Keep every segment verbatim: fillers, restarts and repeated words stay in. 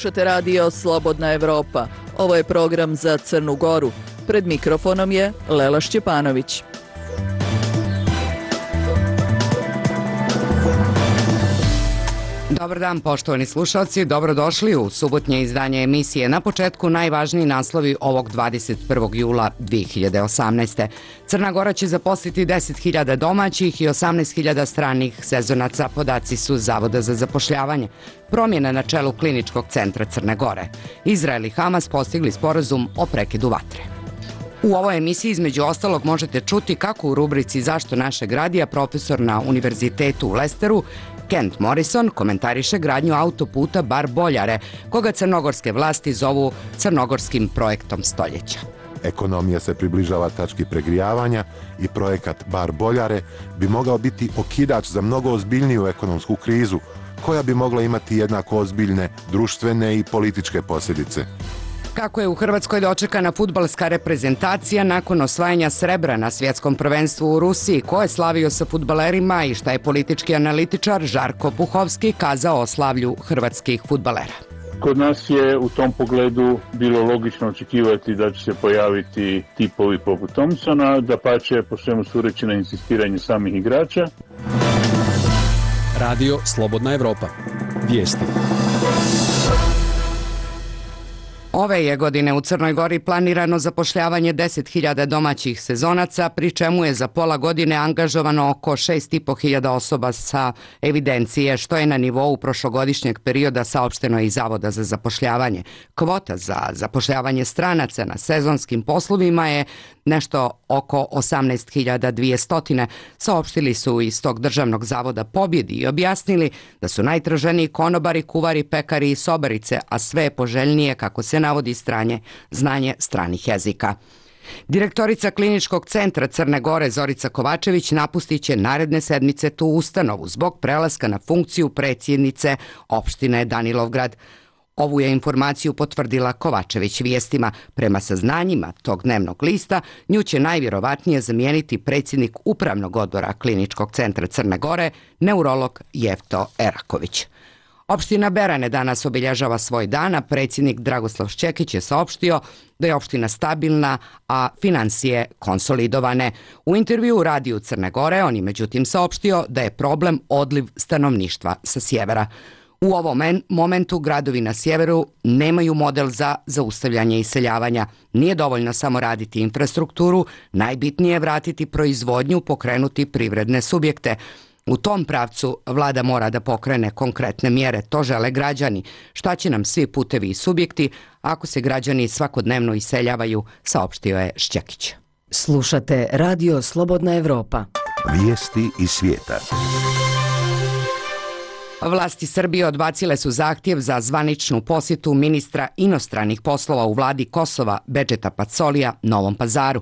Slušate radio Slobodna Evropa. Ovo je program za Crnu Goru. Pred mikrofonom je Lela Šćepanović. Dobar dan, poštovani slušalci, dobrodošli u subotnje izdanje emisije. Na početku najvažniji naslovi ovog dvadeset prvog jula dve hiljade osamnaeste. Crna Gora će zaposliti deset hiljada domaćih i osamnaest hiljada stranih sezonaca, podaci su Zavoda za zapošljavanje. Promjena na čelu Kliničkog centra Crne Gore. Izrael i Hamas postigli sporazum o prekidu vatre. U ovoj emisiji između ostalog možete čuti kako u rubrici Zašto našeg radija profesor na Univerzitetu u Lesteru Kent Morrison komentariše gradnju autoputa Bar Boljare, koga crnogorske vlasti zovu crnogorskim projektom stoljeća. Ekonomija se približava tački pregrijavanja i projekat Bar Boljare bi mogao biti okidač za mnogo ozbiljniju ekonomsku krizu, koja bi mogla imati jednako ozbiljne društvene i političke posljedice. Kako je u Hrvatskoj dočekana fudbalska reprezentacija nakon osvajanja srebra na svjetskom prvenstvu u Rusiji, ko je slavio sa fudbalerima i šta je politički analitičar Žarko Puhovski kazao o slavlju hrvatskih fudbalera. Kod nas je u tom pogledu bilo logično očekivati da će se pojaviti tipovi poput Thompsona, da pače po svemu sudeći na insistiranje samih igrača. Radio Slobodna Evropa. Vijesti. Ove je godine u Crnoj Gori planirano zapošljavanje deset hiljada domaćih sezonaca, pri čemu je za pola godine angažovano oko šest i po hiljada osoba sa evidencije, što je na nivou prošlogodišnjeg perioda, saopšteno iz Zavoda za zapošljavanje. Kvota za zapošljavanje stranaca na sezonskim poslovima je nešto oko osamnaest hiljada dvjesto, saopštili su iz tog državnog zavoda Pobjedi i objasnili da su najtraženiji konobari, kuvari, pekari i sobarice, a sve je poželjnije, kako se navodi, stranje, znanje stranih jezika. Direktorica Kliničkog centra Crne Gore Zorica Kovačević napustit će naredne sedmice tu ustanovu zbog prelaska na funkciju predsjednice opštine Danilovgrad. Ovu je informaciju potvrdila Kovačević vijestima. Prema saznanjima tog dnevnog lista, nju će najvjerovatnije zamijeniti predsjednik Upravnog odbora Kliničkog centra Crne Gore, neurolog Jefto Eraković. Opština Berane danas obilježava svoj dan, a predsjednik Dragoslav Šćekić je saopštio da je opština stabilna, a financije konsolidovane. U intervju u Radiju Crne Gore on je međutim saopštio da je problem odliv stanovništva sa sjevera. U ovom momentu gradovi na sjeveru nemaju model za zaustavljanje iseljavanja. Nije dovoljno samo raditi infrastrukturu, najbitnije je vratiti proizvodnju, pokrenuti privredne subjekte. U tom pravcu vlada mora da pokrene konkretne mjere, to žele građani. Šta će nam svi putevi i subjekti ako se građani svakodnevno iseljavaju, saopštio je Šćekić. Slušate Radio Slobodna Evropa. Vijesti iz svijeta. Vlasti Srbije odbacile su zahtjev za zvaničnu posjetu ministra inostranih poslova u vladi Kosova Bedžeta Pacolija Novom Pazaru.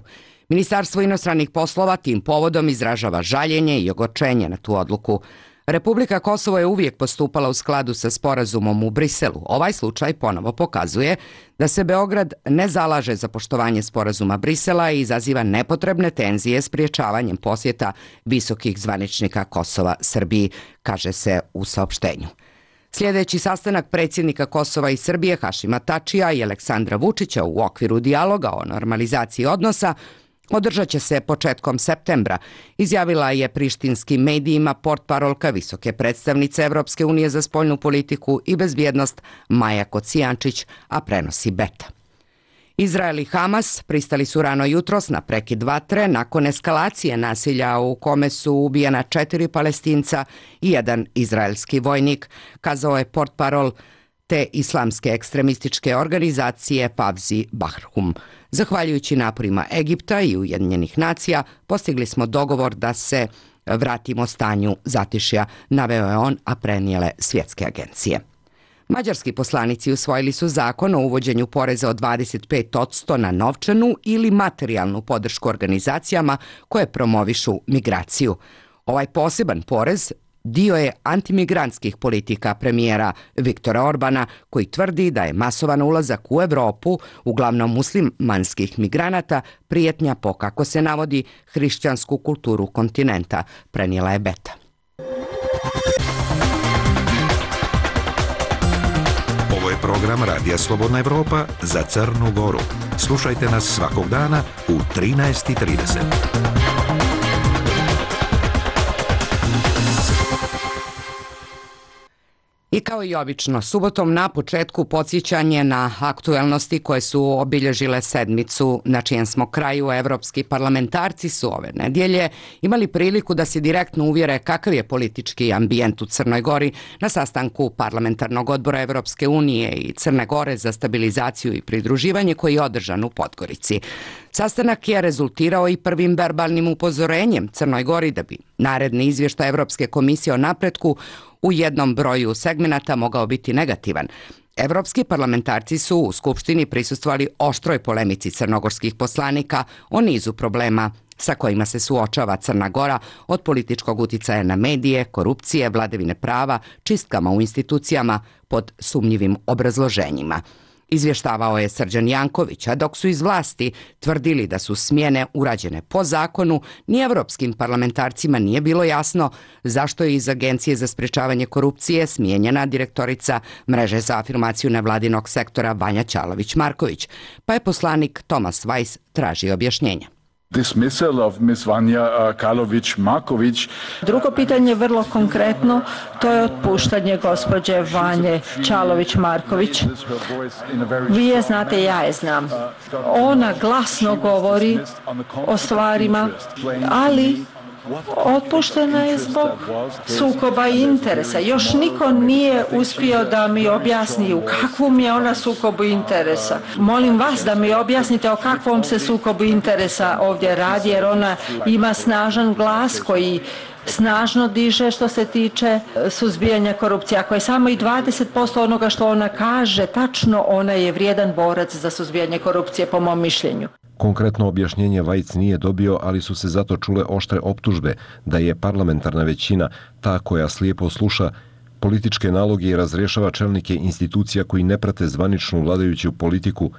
Ministarstvo inostranih poslova tim povodom izražava žaljenje i ogorčenje na tu odluku. Republika Kosovo je uvijek postupala u skladu sa sporazumom u Briselu. Ovaj slučaj ponovo pokazuje da se Beograd ne zalaže za poštovanje sporazuma Brisela i izaziva nepotrebne tenzije spriječavanjem posjeta visokih zvaničnika Kosova Srbiji, kaže se u saopštenju. Sljedeći sastanak predsjednika Kosova i Srbije Hašima Tačija i Aleksandra Vučića u okviru dijaloga o normalizaciji odnosa održat će se početkom septembra, izjavila je prištinskim medijima portparolka visoke predstavnice Evropske unije za spoljnu politiku i bezbjednost Maja Kocijančić, a prenosi Beta. Izrael i Hamas pristali su rano jutros na prekid vatre nakon eskalacije nasilja u kome su ubijena četiri Palestinca i jedan izraelski vojnik, kazao je portparol te islamske ekstremističke organizacije Pavzi Bahrhum. Zahvaljujući naporima Egipta i Ujedinjenih nacija, postigli smo dogovor da se vratimo stanju zatišja, naveo je on, a prenijele svjetske agencije. Mađarski poslanici usvojili su zakon o uvođenju poreza od dvadeset pet posto na novčanu ili materijalnu podršku organizacijama koje promovišu migraciju. Ovaj poseban porez dio je antimigrantskih politika premijera Viktora Orbana, koji tvrdi da je masovan ulazak u Europu, uglavnom muslimanskih migranata, prijetnja po, kako se navodi, hrišćansku kulturu kontinenta, prenijela je Beta. Program Radija Slobodna Evropa za Crnu Goru. Slušajte nas svakog dana u trinaest i trideset. I kao i obično, subotom na početku podsjećanje na aktuelnosti koje su obilježile sedmicu na čijem smo kraju. Evropski parlamentarci su ove nedjelje imali priliku da se direktno uvjere kakav je politički ambijent u Crnoj Gori na sastanku Parlamentarnog odbora Evropske unije i Crne Gore za stabilizaciju i pridruživanje koji je održan u Podgorici. Sastanak je rezultirao i prvim verbalnim upozorenjem Crnoj Gori da bi naredni izvještaj Evropske komisije o napretku u jednom broju segmenata mogao biti negativan. Evropski parlamentarci su u Skupštini prisustvovali oštroj polemici crnogorskih poslanika o nizu problema sa kojima se suočava Crna Gora, od političkog uticaja na medije, korupcije, vladavine prava, čistkama u institucijama pod sumnjivim obrazloženjima. Izvještavao je Srđan Janković, a dok su iz vlasti tvrdili da su smjene urađene po zakonu, ni evropskim parlamentarcima nije bilo jasno zašto je iz Agencije za sprečavanje korupcije smijenjena direktorica Mreže za afirmaciju nevladinog sektora Vanja Ćalović-Marković, pa je poslanik Tomas Weiss tražio objašnjenja. Dismissal of Miss Vanja Ćalović-Marković. Drugo pitanje je vrlo konkretno, to je otpuštanje gospođe Vanje Ćalović-Marković. Vi je znate, ja je znam. Ona glasno govori o stvarima, ali otpuštena je zbog sukoba interesa. Još niko nije uspio da mi objasni u kakvom je ona sukobu interesa. Molim vas da mi objasnite o kakvom se sukobu interesa ovdje radi, jer ona ima snažan glas koji snažno diže što se tiče suzbijanja korupcije. Ako je samo i dvadeset posto onoga što ona kaže tačno, ona je vrijedan borac za suzbijanje korupcije po mom mišljenju. Konkretno objašnjenje Vajc nije dobio, ali su se zato čule oštre optužbe da je parlamentarna većina ta koja slijepo sluša političke naloge i razrješava čelnike institucija koji ne prate zvaničnu vladajuću politiku.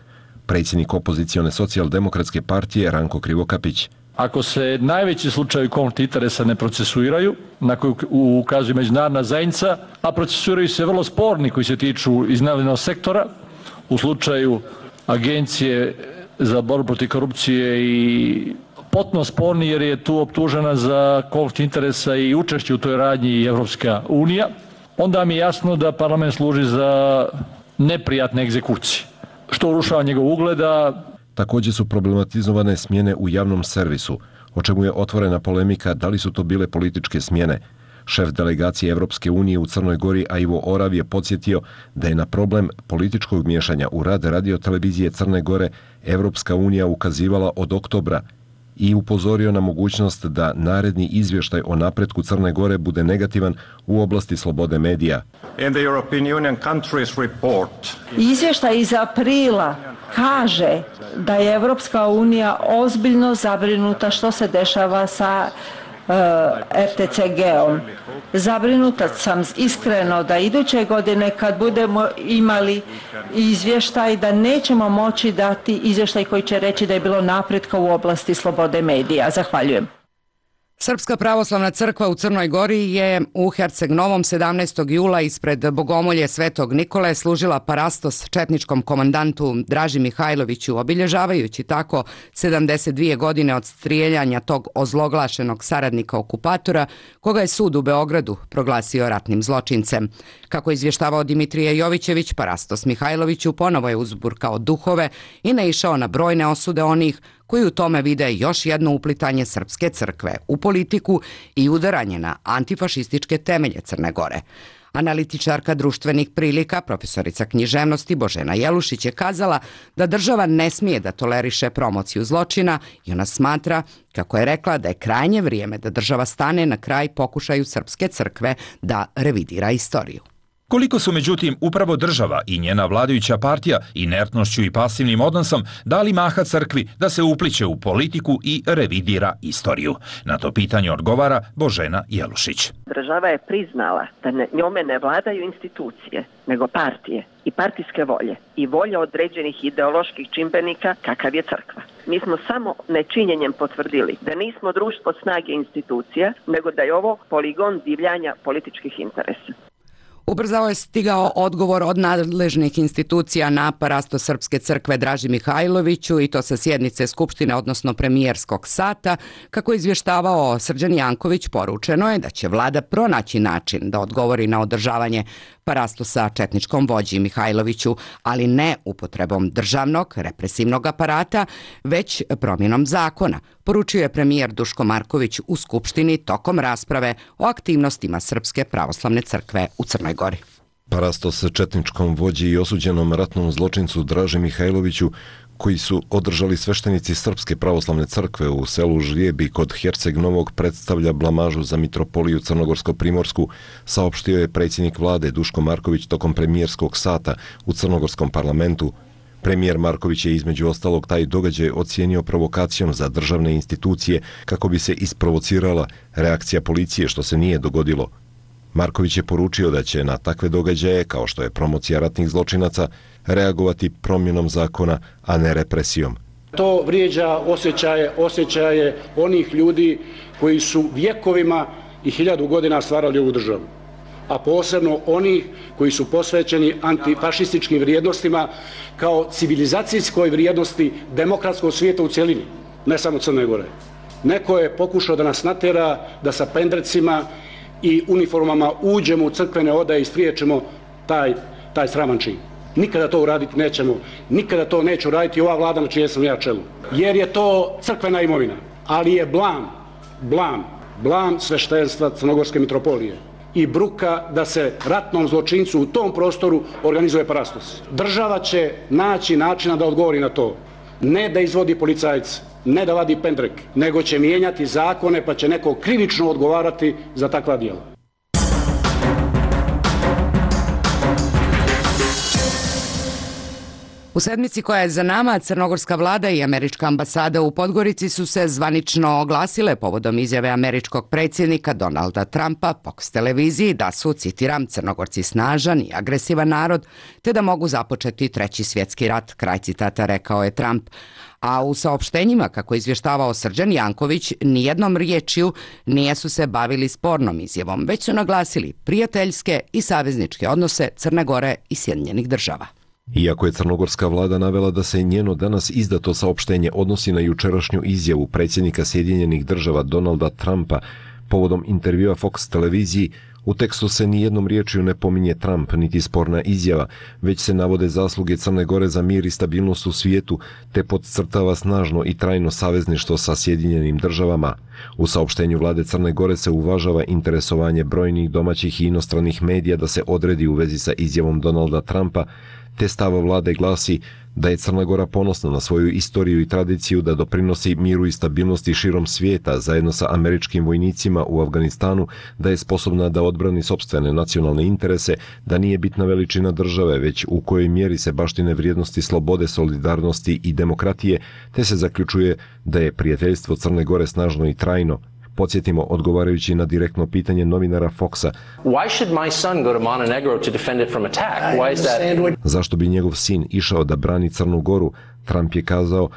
Predsjednik opozicione socijaldemokratske partije Ranko Krivokapić. Ako se najveći slučajevi konflikta interesa ne procesuiraju, na koju ukazuje međunarodna zajednica, a procesuiraju se vrlo sporni koji se tiču iznajmljenog sektora, u slučaju Agencije za borbu protiv korupcije i potpuno sporni jer je tu optužena za konflikt interesa i učešće u toj radnji i Evropska unija, onda mi je jasno da parlament služi za neprijatne egzekucije, što urušava njegov ugleda. Također su problematizovane smjene u javnom servisu, o čemu je otvorena polemika da li su to bile političke smjene. Šef delegacije Evropske unije u Crnoj Gori Ivo Orav je podsjetio da je na problem političkog miješanja u rad radiotelevizije Crne Gore Evropska unija ukazivala od oktobra i upozorio na mogućnost da naredni izvještaj o napretku Crne Gore bude negativan u oblasti slobode medija. Izvještaj iz aprila kaže da je Evropska unija ozbiljno zabrinuta što se dešava sa R T C G-om. Zabrinuta sam iskreno da iduće godine kad budemo imali izvještaj da nećemo moći dati izvještaj koji će reći da je bilo napretka u oblasti slobode medija. Zahvaljujem. Srpska pravoslavna crkva u Crnoj Gori je u Herceg Novom sedamnaestog jula ispred Bogomolje Svetog Nikole služila parastos četničkom komandantu Draži Mihajloviću, obilježavajući tako sedamdeset dvije godine od strijeljanja tog ozloglašenog saradnika okupatora, koga je sud u Beogradu proglasio ratnim zločincem. Kako je izvještavao Dimitrije Jovićević, parastos Mihajloviću ponovo je uzburkao duhove i naišao na brojne osude onih koji u tome vide još jedno uplitanje srpske crkve u politiku i udaranje na antifašističke temelje Crne Gore. Analitičarka društvenih prilika, profesorica književnosti Božena Jelušić je kazala da država ne smije da toleriše promociju zločina i ona smatra, kako je rekla, da je krajnje vrijeme da država stane na kraj pokušaju srpske crkve da revidira istoriju. Koliko su međutim upravo država i njena vladajuća partija inertnošću i pasivnim odnosom dali maha crkvi da se upliće u politiku i revidira istoriju? Na to pitanje odgovara Božena Jelušić. Država je priznala da ne, njome ne vladaju institucije, nego partije i partijske volje i volje određenih ideoloških čimbenika kakav je crkva. Mi smo samo nečinjenjem potvrdili da nismo društvo snage institucija, nego da je ovo poligon divljanja političkih interesa. Ubrzao je stigao odgovor od nadležnih institucija na parasto Srpske crkve Draži Mihajloviću i to sa sjednice Skupštine, odnosno premijerskog sata. Kako je izvještavao Srđan Janković, poručeno je da će vlada pronaći način da odgovori na održavanje parastosa četničkom vođi Mihajloviću, ali ne upotrebom državnog represivnog aparata, već promjenom zakona, poručio je premijer Duško Marković u Skupštini tokom rasprave o aktivnostima Srpske pravoslavne crkve u Crnoj Gori. Parastos četničkom vođi i osuđenom ratnom zločincu Draži Mihajloviću, koji su održali sveštenici Srpske pravoslavne crkve u selu Žlijebi kod Herceg Novog, predstavlja blamažu za mitropoliju Crnogorsko-Primorsku, saopštio je predsjednik vlade Duško Marković tokom premijerskog sata u Crnogorskom parlamentu. Premijer Marković je između ostalog taj događaj ocijenio provokacijom za državne institucije kako bi se isprovocirala reakcija policije, što se nije dogodilo. Marković je poručio da će na takve događaje, kao što je promocija ratnih zločinaca, reagovati promjenom zakona, a ne represijom. To vrijeđa osjećaje, osjećaje onih ljudi koji su vjekovima i hiljadu godina stvarali ovu državu, a posebno onih koji su posvećeni antifašističkim vrijednostima kao civilizacijskoj vrijednosti demokratskog svijeta u cjelini, ne samo Crne Gore. Neko je pokušao da nas natjera da sa pendrecima i uniformama uđemo u crkvene odaje i spriječimo taj, taj sraman čin. Nikada to uraditi nećemo, nikada to neće uraditi ova vlada na čijem sam ja čelu. Jer je to crkvena imovina, ali je blam, blam, blam sveštenstva Crnogorske mitropolije i bruka da se ratnom zločincu u tom prostoru organizuje parastos. Država će naći načina da odgovori na to. Ne da izvodi policajce, ne da vadi pendrek, nego će mijenjati zakone pa će neko krivično odgovarati za takva djela. U sedmici koja je za nama, crnogorska vlada i američka ambasada u Podgorici su se zvanično oglasile povodom izjave američkog predsjednika Donalda Trumpa Fox televiziji da su, citiram, Crnogorci snažan i agresivan narod, te da mogu započeti treći svjetski rat, kraj citata, rekao je Trump. A u saopštenjima, kako je izvještavao Srđan Janković, nijednom riječju nije su se bavili spornom izjavom, već su naglasili prijateljske i savezničke odnose Crne Gore i Sjedinjenih Država. Iako je crnogorska vlada navela da se njeno danas izdato saopštenje odnosi na jučerašnju izjavu predsjednika Sjedinjenih Država Donalda Trumpa povodom intervjua Fox televiziji, u tekstu se nijednom riječju ne pominje Trump niti sporna izjava, već se navode zasluge Crne Gore za mir i stabilnost u svijetu, te podcrtava snažno i trajno savezništvo sa Sjedinjenim Državama. U saopštenju vlade Crne Gore se uvažava interesovanje brojnih domaćih i inostranih medija da se odredi u vezi sa izjavom Donalda Trumpa, te stav vlade glasi da je Crna Gora ponosna na svoju istoriju i tradiciju da doprinosi miru i stabilnosti širom svijeta zajedno sa američkim vojnicima u Afganistanu, da je sposobna da odbrani sopstvene nacionalne interese, da nije bitna veličina države, već u kojoj mjeri se baštine vrijednosti slobode, solidarnosti i demokratije, te se zaključuje da je prijateljstvo Crne Gore snažno i trajno. Podsjetimo, odgovarajući na direktno pitanje novinara Foxa, zašto bi njegov sin išao da brani Crnu Goru, Trump je kazao,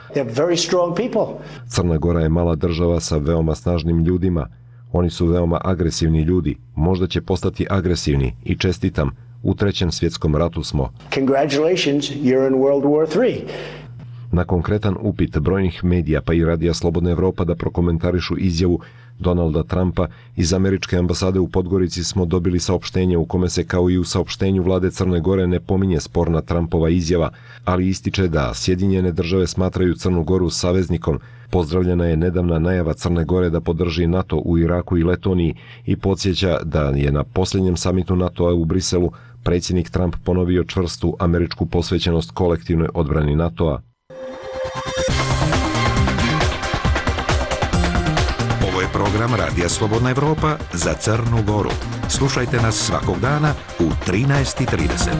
Crna Gora je mala država sa veoma snažnim ljudima. Oni su veoma agresivni ljudi. Možda će postati agresivni i čestitam. U trećem svjetskom ratu smo. Congratulations, you're in World War three. Na konkretan upit brojnih medija pa i Radija Slobodna Evropa da prokomentarišu izjavu Donalda Trumpa, iz američke ambasade u Podgorici smo dobili saopštenje u kome se kao i u saopštenju vlade Crne Gore ne pominje sporna Trumpova izjava, ali ističe da Sjedinjene Države smatraju Crnu Goru saveznikom. Pozdravljena je nedavna najava Crne Gore da podrži NATO u Iraku i Letoniji i podsjeća da je na posljednjem samitu NATO-a u Briselu predsjednik Trump ponovio čvrstu američku posvećenost kolektivnoj odbrani NATO-a. Ovo je program Radija Slobodna Evropa za Crnu Goru. Slušajte nas svakog dana u trinaest i trideset.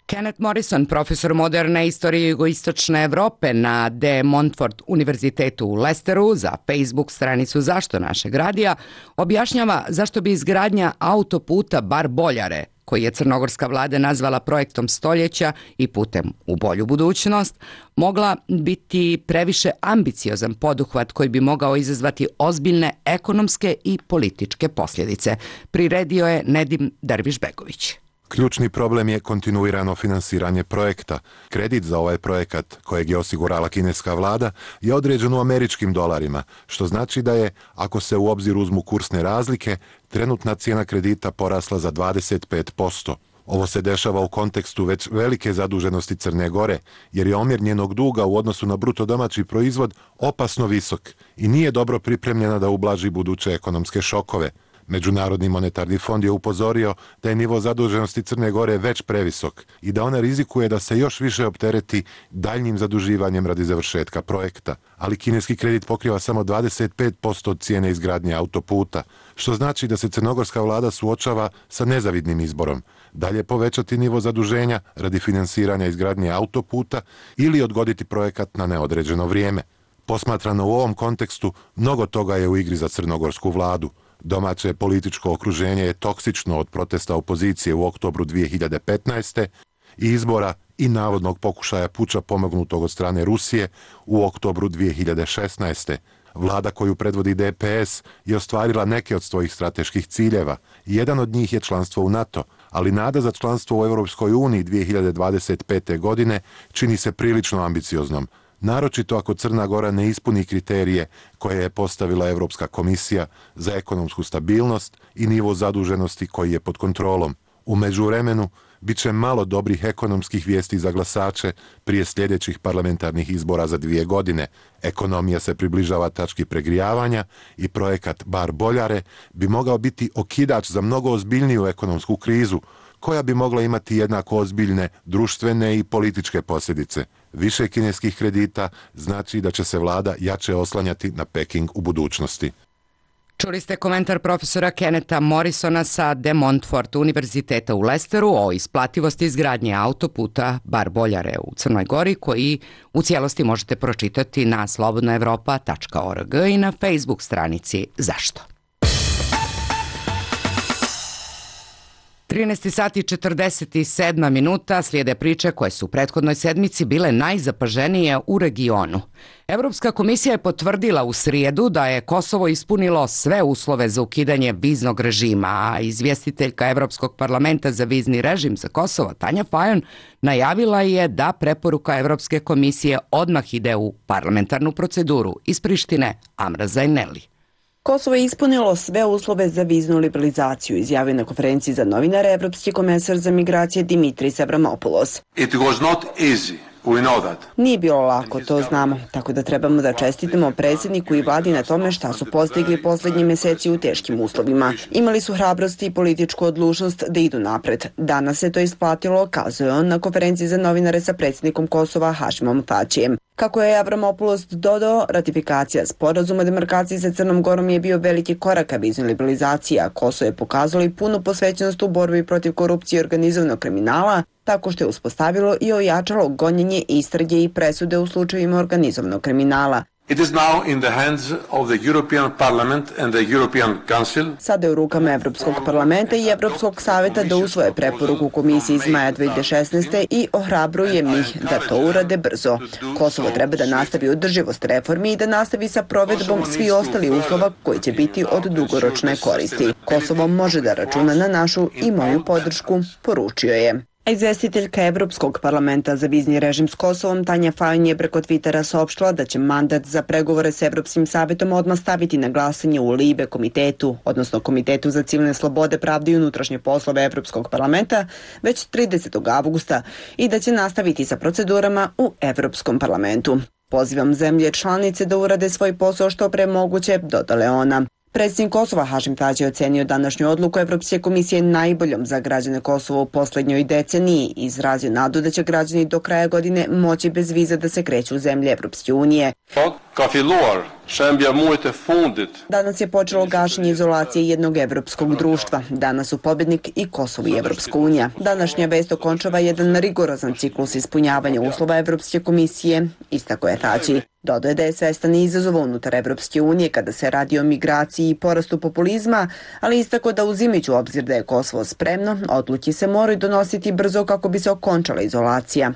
Kenneth Morrison, profesor moderne istorije jugoistočne Evrope na De Montfort univerzitetu u Leicesteru za Facebook stranicu Zašto našeg radija, objašnjava zašto bi izgradnja autoputa Bar Boljare, koji je crnogorska vlada nazvala projektom stoljeća i putem u bolju budućnost, mogla biti previše ambiciozan poduhvat koji bi mogao izazvati ozbiljne ekonomske i političke posljedice, priredio je Nedim Dervišbegović. Ključni problem je kontinuirano finansiranje projekta. Kredit za ovaj projekat, kojeg je osigurala kineska vlada, je određen u američkim dolarima, što znači da je, ako se u obzir uzmu kursne razlike, trenutna cijena kredita porasla za dvadeset pet posto. Ovo se dešava u kontekstu već velike zaduženosti Crne Gore, jer je omjer njenog duga u odnosu na bruto domaći proizvod opasno visok i nije dobro pripremljena da ublaži buduće ekonomske šokove. Međunarodni monetarni fond je upozorio da je nivo zaduženosti Crne Gore već previsok i da ona rizikuje da se još više optereti daljnjim zaduživanjem radi završetka projekta. Ali kineski kredit pokriva samo dvadeset pet posto od cijene izgradnje autoputa, što znači da se crnogorska vlada suočava sa nezavidnim izborom. Dalje povećati nivo zaduženja radi finansiranja izgradnje autoputa ili odgoditi projekat na neodređeno vrijeme. Posmatrano u ovom kontekstu, mnogo toga je u igri za crnogorsku vladu. Domaće političko okruženje je toksično od protesta opozicije u oktobru dvije hiljade petnaeste. i izbora i navodnog pokušaja puča pomognutog od strane Rusije u oktobru dvije hiljade šesnaeste. Vlada koju predvodi D P S je ostvarila neke od svojih strateških ciljeva. Jedan od njih je članstvo u NATO, ali nada za članstvo u Europskoj uniji dvije hiljade dvadeset pete. godine čini se prilično ambicioznom, naročito ako Crna Gora ne ispuni kriterije koje je postavila Europska komisija za ekonomsku stabilnost i nivo zaduženosti koji je pod kontrolom. U međuvremenu, bit će malo dobrih ekonomskih vijesti za glasače prije sljedećih parlamentarnih izbora za dvije godine. Ekonomija se približava tački pregrijavanja i projekat Bar Boljare bi mogao biti okidač za mnogo ozbiljniju ekonomsku krizu, koja bi mogla imati jednako ozbiljne društvene i političke posljedice. Više kineskih kredita znači da će se vlada jače oslanjati na Peking u budućnosti. Čuli ste komentar profesora Kenneta Morrisona sa De Montfort univerziteta u Lesteru o isplativosti izgradnje autoputa Bar Boljare u Crnoj Gori, koji u cijelosti možete pročitati na slobodna evropa tačka org i na Facebook stranici Zašto? trinaest sati i četrdeset sedam minuta, slijede priče koje su u prethodnoj sedmici bile najzapaženije u regionu. Europska komisija je potvrdila u srijedu da je Kosovo ispunilo sve uslove za ukidanje viznog režima, a izvjestiteljka Europskog parlamenta za vizni režim za Kosovo, Tanja Fajon, najavila je da preporuka Europske komisije odmah ide u parlamentarnu proceduru. Iz Prištine, Amra Zajneli. Kosovo je ispunilo sve uslove za viznu liberalizaciju, izjavio na konferenciji za novinare evropski komesar za migracije Dimitris Avramopoulos. It was not easy. We know that. Nije bilo lako, to znamo, tako da trebamo da čestitamo predsjedniku i vladi na tome šta su postigli posljednji mjeseci u teškim uslovima. Imali su hrabrost i političku odlučnost da idu napred. Danas se to isplatilo, kazuje on na konferenciji za novinare sa predsjednikom Kosova Hašimom Tačijem. Kako je Avramopoulos dodao, ratifikacija sporazuma o demarkaciji sa Crnom Gorom je bio veliki korak ka viznoj liberalizaciji, a Kosovo je pokazalo i punu posvećenost u borbi protiv korupcije i organizovanog kriminala, tako što je uspostavilo i ojačalo gonjenje, istrage i presude u slučajevima organizovanog kriminala. It is now in the hands of the European Parliament and the European Council. Sada je u rukama Evropskog parlamenta i Evropskog savjeta da usvoje preporuku komisije iz maja dvije hiljade šesnaeste. i ohrabrujem ih da to urade brzo. Kosovo treba da nastavi održivost reformi i da nastavi sa provedbom svi ostali uslova koji će biti od dugoročne koristi. Kosovo može da računa na našu i moju podršku, poručio je. A izvestiteljka Evropskog parlamenta za vizni režim s Kosovom, Tanja Fajon, je preko Twittera saopštila da će mandat za pregovore s Evropskim savjetom odmah staviti na glasanje u Libe komitetu, odnosno Komitetu za civilne slobode, pravde i unutrašnje poslove Evropskog parlamenta, već tridesetog avgusta i da će nastaviti sa procedurama u Evropskom parlamentu. Pozivam zemlje članice da urade svoj posao što pre moguće, dodale ona. Predsjednik Kosova Hašim Tači je ocenio današnju odluku Evropske komisije najboljom za građane Kosova u posljednjoj deceniji i izrazio nadu da će građani do kraja godine moći bez viza da se kreću u zemlje Evropske unije. ka filluar shembja muajit e fundit. Danas je počelo gašenje izolacije jednog evropskog društva. Danas su pobjednik i Kosovo i Evropska unija. Današnja vest okončava jedan rigorozan ciklus ispunjavanja uslova Evropske komisije, istako je Tači. Dodaje da je svestan izazova unutar Evropske unije kada se radi o migraciji i porastu populizma, ali istako da uzimajući u obzir da je Kosovo spremno, odluke se moraju donositi brzo kako bi se okončala izolacija.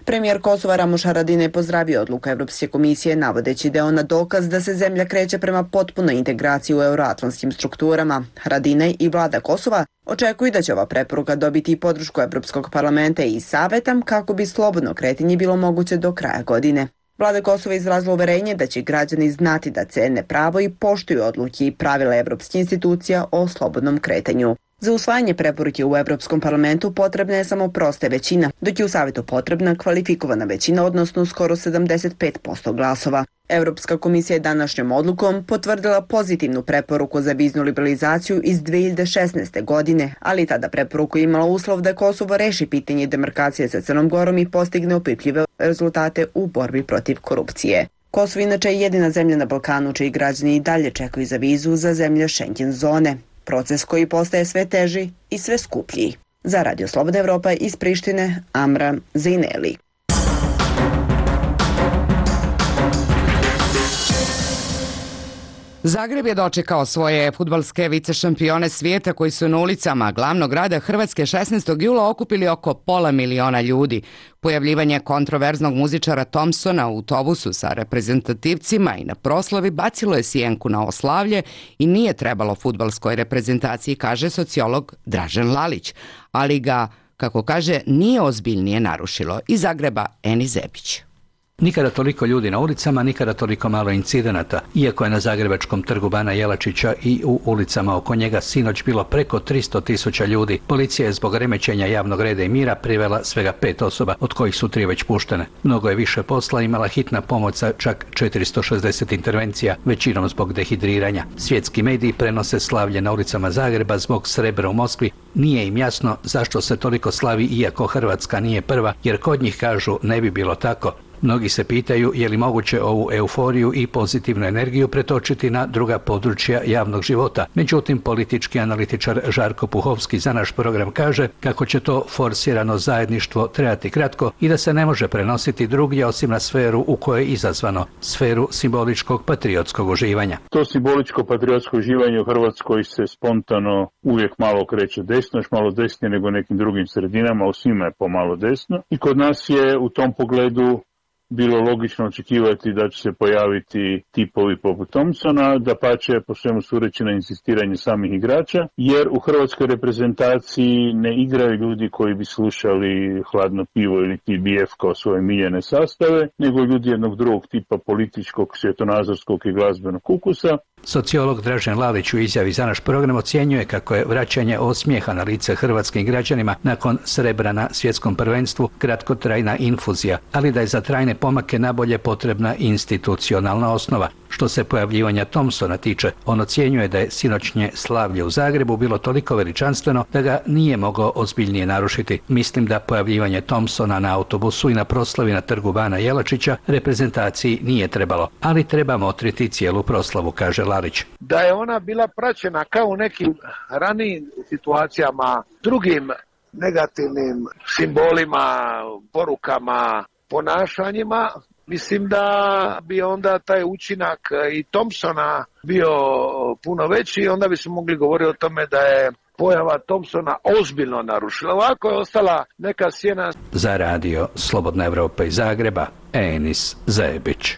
Premijer Kosova Ramuš Haradinaj je pozdravio odluku Evropske komisije navodeći da je ona dokaz da se zemlja kreće prema potpunoj integraciji u euroatlantskim strukturama. Haradinaj i vlada Kosova očekuju da će ova preporuka dobiti i podršku Evropskog parlamenta i saveta kako bi slobodno kretanje bilo moguće do kraja godine. Vlada Kosova izrazila uverenje da će građani znati da cene pravo i poštuju odluke i pravila evropskih institucija o slobodnom kretanju. Za usvajanje preporuke u Evropskom parlamentu potrebna je samo prosta većina, dok je u Savetu potrebna kvalifikovana većina, odnosno skoro sedamdeset pet posto glasova. Evropska komisija je današnjom odlukom potvrdila pozitivnu preporuku za viznu liberalizaciju iz dve hiljade šesnaeste. godine, ali tada preporuku je imala uslov da Kosovo reši pitanje demarkacije sa Crnom Gorom i postigne opipljive rezultate u borbi protiv korupcije. Kosovo inače je jedina zemlja na Balkanu čiji građani i dalje čekaju za vizu za zemlje Schengen zone. Proces koji postaje sve teži i sve skuplji. Za Radio Slobodna Evropa iz Prištine, Amra Zejneli. Zagreb je dočekao svoje fudbalske vicešampione svijeta koji su na ulicama glavnog grada Hrvatske šesnaestog jula okupili oko pola miliona ljudi. Pojavljivanje kontroverznog muzičara Thompsona u autobusu sa reprezentativcima i na proslavi bacilo je sjenku na oslavlje i nije trebalo fudbalskoj reprezentaciji, kaže sociolog Dražen Lalić, ali ga, kako kaže, nije ozbiljnije narušilo. Iz Zagreba Eni Zebić. Nikada toliko ljudi na ulicama, nikada toliko malo incidenata. Iako je na zagrebačkom trgu Bana Jelačića i u ulicama oko njega sinoć bilo preko tristo tisuća ljudi, policija je zbog remećenja javnog reda i mira privela svega pet osoba, od kojih su tri već puštene. Mnogo je više posla imala hitna pomoć sa čak četiristo šezdeset intervencija, većinom zbog dehidriranja. Svjetski mediji prenose slavlje na ulicama Zagreba zbog srebra u Moskvi. Nije im jasno zašto se toliko slavi iako Hrvatska nije prva, jer kod njih kažu ne bi bilo tako. Mnogi se pitaju je li moguće ovu euforiju i pozitivnu energiju pretočiti na druga područja javnog života. Međutim, politički analitičar Žarko Puhovski za naš program kaže kako će to forsirano zajedništvo trajati kratko i da se ne može prenositi drugdje osim na sferu u kojoj je izazvano, sferu simboličkog patriotskog uživanja. To simboličko patriotsko uživanje u Hrvatskoj se spontano uvijek malo kreće desno, još malo desnije nego nekim drugim sredinama, u svima je pomalo desno. I kod nas je u tom pogledu bilo logično očekivati da će se pojaviti tipovi poput Thompsona, da pače po svemu sureći na insistiranje samih igrača, jer u hrvatskoj reprezentaciji ne igraju ljudi koji bi slušali Hladno pivo ili T B F kao svoje miljene sastave, nego ljudi jednog drugog tipa političkog, svjetonazorskog i glazbenog ukusa. Sociolog Dražen Lalić u izjavi za naš program ocjenjuje kako je vraćanje osmijeha na lice hrvatskim građanima nakon srebra na svjetskom prvenstvu kratkotrajna infuzija, ali da je za trajne pomake nabolje potrebna institucionalna osnova. Što se pojavljivanja Thompsona tiče, on ocjenjuje da je sinoćnje slavlje u Zagrebu bilo toliko veličanstveno da ga nije mogao ozbiljnije narušiti. Mislim da pojavljivanje Thompsona na autobusu i na proslavi na trgu Bana Jelačića reprezentaciji nije trebalo, ali treba motriti cijelu proslavu, kaže Lalić. Da je ona bila praćena kao u nekim ranijim situacijama, drugim negativnim simbolima, porukama, ponašanjima, mislim da bi onda taj učinak i Thompsona bio puno veći i onda bi se mogli govoriti o tome da je pojava Thompsona ozbiljno narušila. Ovako je ostala neka sjena. Za radio Slobodna Evropa iz Zagreba, Enis Zebić.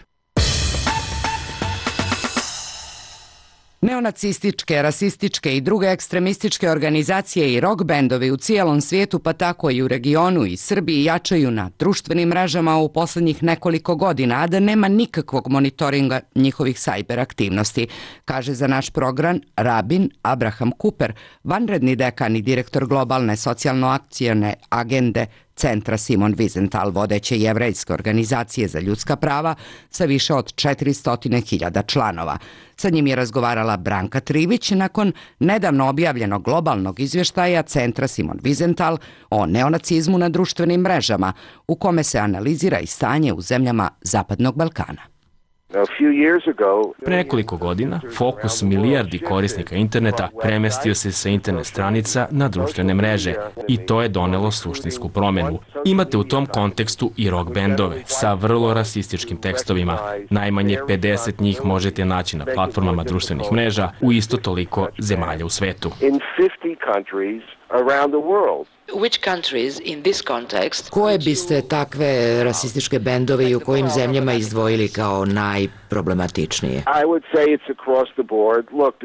Neonacističke, rasističke i druge ekstremističke organizacije i rock bendovi u cijelom svijetu, pa tako i u regionu i Srbiji, jačaju na društvenim mrežama u posljednjih nekoliko godina, a da nema nikakvog monitoringa njihovih sajber aktivnosti, kaže za naš program rabin Abraham Cooper, vanredni dekan i direktor globalne socijalno-akcijone agende Centra Simon Wiesenthal, vodeće jevrejske organizacije za ljudska prava sa više od četiristo hiljada članova. Sa njim je razgovarala Branka Trivić nakon nedavno objavljenog globalnog izvještaja Centra Simon Wiesenthal o neonacizmu na društvenim mrežama, u kome se analizira i stanje u zemljama Zapadnog Balkana. Pre nekoliko godina, fokus milijardi korisnika interneta premestio se sa internet stranica na društvene mreže i to je donelo suštinsku promenu. Imate u tom kontekstu i rock bendove sa vrlo rasističkim tekstovima. Najmanje pedeset njih možete naći na platformama društvenih mreža u isto toliko zemalja u svetu. Koje biste takve rasističke bendove i u kojim zemljama izdvojili kao najproblematičnije?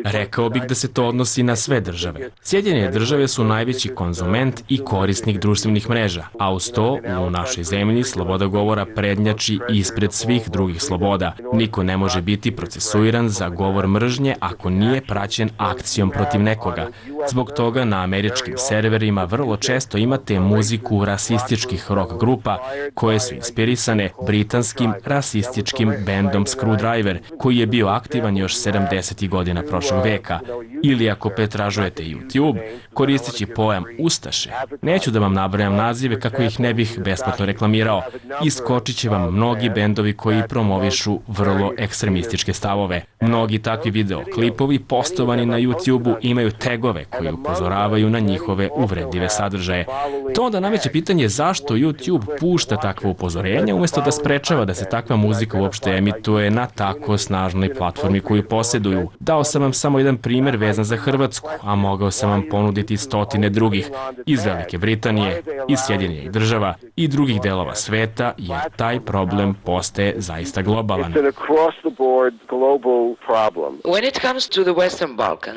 Rekao bih da se to odnosi na sve države. Sjedinjene države su najveći konzument i korisnik društvenih mreža, a uz to u našoj zemlji sloboda govora prednjači ispred svih drugih sloboda. Niko ne može biti procesuiran za govor mržnje ako nije praćen akcijom protiv nekoga. Zbog toga na američkim serverima vrlo često imate muziku rasističkih rock grupa koje su inspirisane britanskim rasističkim bendom Screwdriver, koji je bio aktivan još sedamdesetih godina prošlog veka. Ili ako pretražujete YouTube, koristeći pojam Ustaše, neću da vam nabrajam nazive kako ih ne bih besplatno reklamirao, iskočit će vam mnogi bendovi koji promovišu vrlo ekstremističke stavove. Mnogi takvi videoklipovi postovani na YouTube-u imaju tegove koji upozoravaju na njihove uvredljive sadržaje. To onda nameće pitanje zašto YouTube pušta takve upozorenja umjesto da sprečava da se takva muzika uopšte emituje na tako snažnoj platformi koju posjeduju. Dao sam vam samo jedan primjer vezan za Hrvatsku, a mogao sam vam ponuditi stotine drugih iz Velike Britanije, iz Sjedinjenih država i drugih delova sveta, jer taj problem postaje zaista globalan.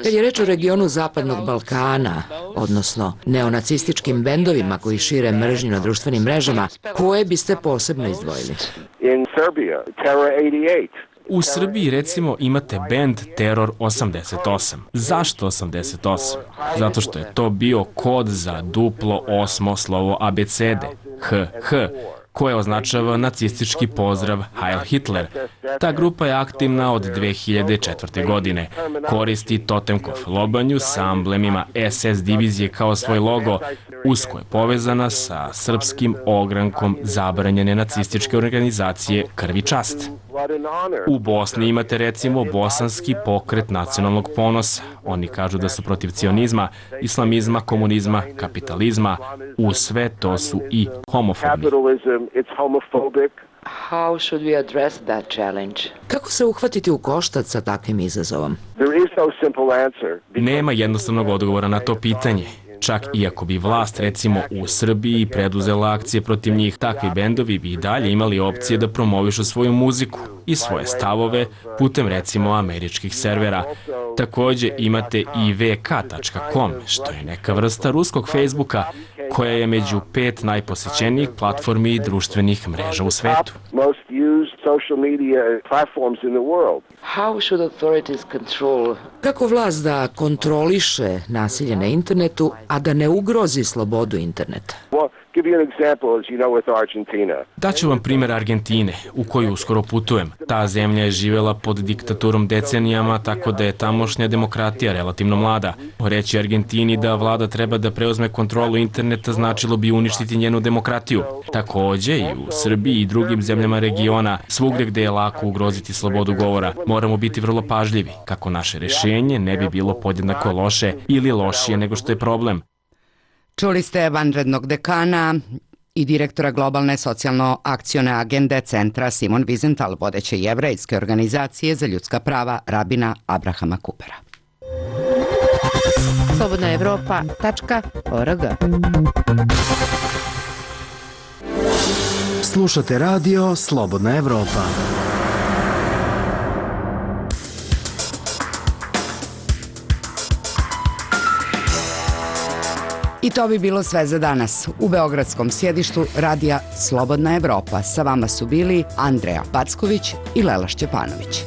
Kad je reč o regionu Zapadnog Balkana, odnosno neonacističkim bendovima koji šire mržnju na društvenim mrežama, koje biste posebno izdvojili? U Srbiji, recimo, imate bend Teror osamdeset osam. Zašto osamdeset osam? Zato što je to bio kod za duplo osmo slovo abecede, H H, koje označava nacistički pozdrav Heil Hitler. Ta grupa je aktivna od dve hiljade četvrte. godine. Koristi Totemkov lobanju sa amblemima S S divizije kao svoj logo, usko je povezana sa srpskim ogrankom zabranjene nacističke organizacije Krvi čast. U Bosni imate recimo Bosanski pokret nacionalnog ponosa. Oni kažu da su protiv cionizma, islamizma, komunizma, kapitalizma. U sve to su i homofobni. Kako se uhvatiti u koštac sa takvim izazovom? Nema jednostavnog odgovora na to pitanje. Čak i ako bi vlast, recimo u Srbiji, preduzela akcije protiv njih, takvi bendovi bi i dalje imali opcije da promovišu svoju muziku i svoje stavove putem recimo američkih servera. Takođe imate i v k tačka com, što je neka vrsta ruskog Facebooka, koja je među pet najposećenijih platformi i društvenih mreža u svetu. Kako vlast da kontroliše nasilje na internetu, a da ne ugrozi slobodu interneta? Daću vam primjer Argentine, u koju uskoro putujem. Ta zemlja je živjela pod diktaturom decenijama, tako da je tamošnja demokratija relativno mlada. Reći Argentini da vlada treba da preuzme kontrolu interneta značilo bi uništiti njenu demokratiju. Takođe i u Srbiji i drugim zemljama regiona, svugde gde je lako ugroziti slobodu govora, moramo biti vrlo pažljivi, kako naše rešenje ne bi bilo podjednako loše ili lošije nego što je problem. Čuli ste vanrednog dekana i direktora globalne socijalno-akcione agende centra Simon Wiesenthal, vodeće jevrejske organizacije za ljudska prava Rabina Abrahama Kupera. slobodna evropa tačka org. Slušate radio Slobodna Evropa. I to bi bilo sve za danas. U beogradskom sjedištu radija Slobodna Evropa sa vama su bili Andreja Packović i Lela Šćepanović.